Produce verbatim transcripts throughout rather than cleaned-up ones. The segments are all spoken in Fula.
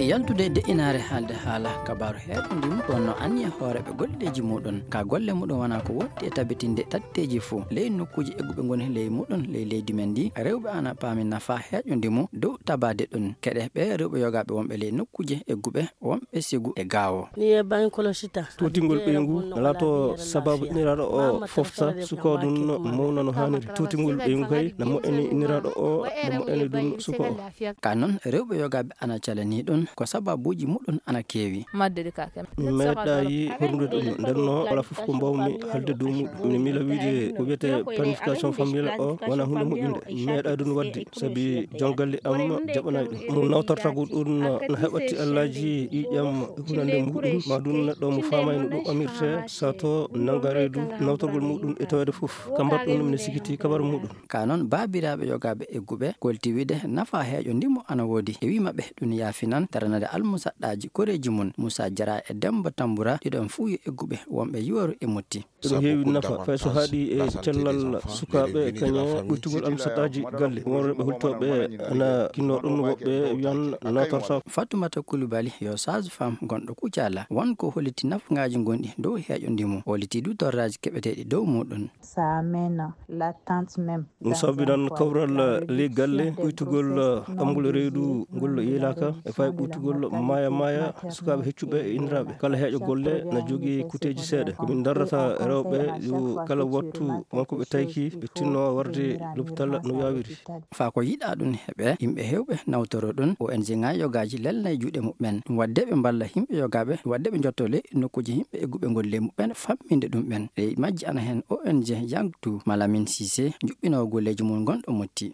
Yaltude e de'inaare haalde haala kabaaru heeɗo ndimu, ko wonno anniya hooreeɓe golleeji muɗum. Ka golle muɗum wona ko wondi e tabitinde tatteeji fof ley nokkuuji egguɓe ngoni ley muɗum ley leydi men ndi. Rewɓe ana paami nafa heeƴo ndimu dow tabaade ɗum. Keɗe ɓe rewɓe yogaaɓe wonɓe ley nokkuuji egguɓe wonɓe sigu e gaawo. Ni e baŋ kolosi ta. Tuutingol ɓeyngu na laato sababu iniraaɗo o fofta suko ɗum mawna no haaniri. Tuutingol ɓeyngu kay na moƴƴini iniraaɗo o, na moƴƴini ɗum suko o. Ka noon, rewɓe yogaaɓe ana calanii ɗum, ko sababuuji muɗum ana keewi. Madde de ka kem. Mi meeɗaayi horlude ɗum, nden no wala fof ko mbawmi haalde dow muɗum. Mi miila wiide ko wiyetee planification familiale o wona huunde moƴƴunde. Mi meeɗaa ɗum waɗde, sabi joom galle am jaɓanaay ɗum. Mo nawtortagol ɗum na heɓa tiɗallaaji ƴiiƴam e hunande muɗum, ma ɗum neɗɗo mo faamaay no ɗum amirte, sato nannga reedu nawtorgol muɗum e taweede fof. Ka mbaɗ ɗum, mi sikkitii kabaru muɗum. Ka noon, baabiraaɓe yogaaɓe egguɓe kolti wiide nafa heeƴo ndimu ana woodi. E wii maɓɓe ɗum yaafinan daranade almusaɗɗaaji koreeji mum. Moussa Diarra e Demba Tambura, ɗiɗon fuu yo egguɓe wonɓe Yooru e Motti. Ɗum heewi nafa, fay so haaɗi e cellal sukaaɓe kañe ɓuytugol almusaɗɗaaji galle. Won rewɓe hultooɓe ana kinnoo ɗum, woɓɓe wiyan nawtortaako. Fatoumata Coulibaly yo sage-femme gonɗo Kucala. Won ko holliti nafangaaji gonɗi dow heeƴo ndimu. Holliti du torraaji keɓeteeɗi dow muɗum. Ça amène l'attente même. Ɗum sababinan kawral ley galle, ɓuytugol ɓanngol reedu ngol yeelaaka, e fay ɓuytugol maaya maaya sukaaɓe heccuɓe e inniraaɓe. Kala heeƴo golle na jogii kuteeji seeɗa. Ko min darrata rewɓe yo kala wattu won ko ɓe tayki, ɓe tinno warde lopital no yaawiri. Faa ko yiɗaa ɗum heɓe, yimɓe heewɓe nawtoro ɗum, O N G ŋaaji yogaaji lelnay juuɗe muɓɓen. Ɗum waɗde ɓe mballa yimɓe yogaaɓe, ɗum waɗde ɓe njotto ley nokkuuji yimɓe egguɓe ngoni ley muɓɓen famminde ɗum ɓen. Ley majji ana heen O N G Yangtu, Malamine Cissé, juɓɓinoowo golleeji mum gonɗo Motti.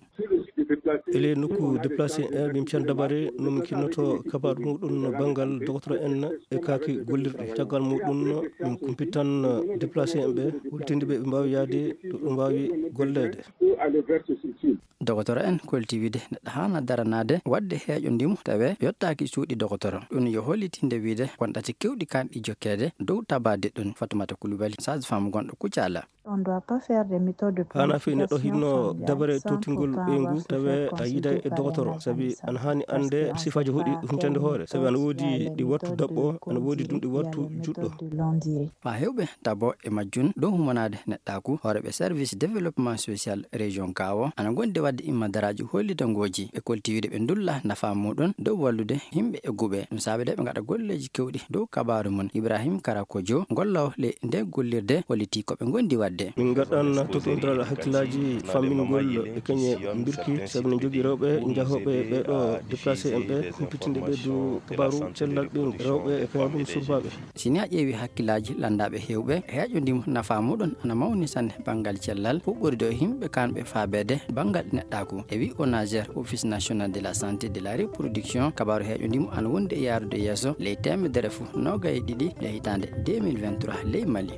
E ley nokku déplacé en, min piyan dabare no min kinnoto kabaaru muɗum banngal dogotoro en e kaaki gollirɗi. Caggal muɗum min kumpitan déplacé en ɓe, holtinde ɓe ɓe mbaawi yaade to ɓe mbaawi golleede. Dogotoro en kolti wiide neɗɗo haana daranaade waɗde heeƴo ndimu tawe yottaaki cuuɗi dogotoro. Ɗum yo hollitinde wiide won ɗate keewɗi kaanɗi jokkeede dow tabaade ɗum. Fatoumata Coulibaly, sage-femme gonɗo Kucala. On doit pas faire des méthodes de planification familiale sans pourtant avoir souffert connaissance de comment ça se passe. Haana fii neɗɗo hinno dabare tuutingol ɓeyngu tawe a yiiday e dogotoro, sabi ana haani annde sifaaji hoɗi huncande hoore, sabi ana woodi ɗi wattu daɓɓo, ana woodi ɗum ɗi wattu juɗɗo. Maa heewɓe tabo e majjum dow humanaade neɗɗaaku. Hooreeɓe service développement social région Gaawo ana ngondi waɗde immadaraaji hollitangooji. Ɓe kolti wiide ɓe ndulla nafaa muɗum dow wallude yimɓe egguɓe. Ɗum saabi de ɓe ngaɗa golleeji keewɗi dow kabaaru mum. Ibrahim Karakojo, golloowo ley nde gollirde, hollitii ko ɓe ngondi waɗde. Min ngaɗan tottondiral hakkillaaji fammingol e kañe mbirki, sabi no jogii rewɓe njahooɓe ɓee ɗo déplacé en ɓe, humpitinde ɓe dow kabaaru cellal ɓeyngu rewɓe e kañum surbaaɓe. Si ni a ƴeewi hakkillaaji lanndaaɓe heewɓe, heeƴo ndimu nafaa muɗum ana mawni sanne banngal cellal, huɓɓori ɗo yimɓe kaanɓe faabeede banngal neɗɗaaku. E wi O N A G R, Office National de la Santé de la Reproduction, kabaaru heeƴo ndimu ana wondi e yaarude yeeso ley teemedere fof noogay e ɗiɗi e hitaande deux mille vingt-trois ley Mali.